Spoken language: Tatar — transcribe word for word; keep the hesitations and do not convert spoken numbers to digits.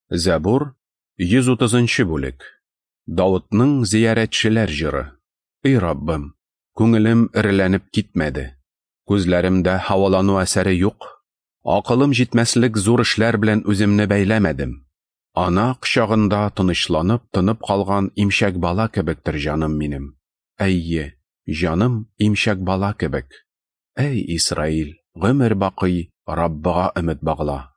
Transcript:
Зәбур, йөз утызынчы бүлек. Давытның зиярәтчеләр җыры. Эй Раббым, күңелем эреләнеп китмәде. Күзләремдә һавалану әсәре юк. Акылым җитмәслек зур эшләр белән үземне бәйләмәдем. Ана кочагында тынычланып, тынып калган имчәк бала кебектер җаным минем. Әйе, җаным имчәк бала кебек. Әй Исраил, гомер бакый Раббыга өмет багла.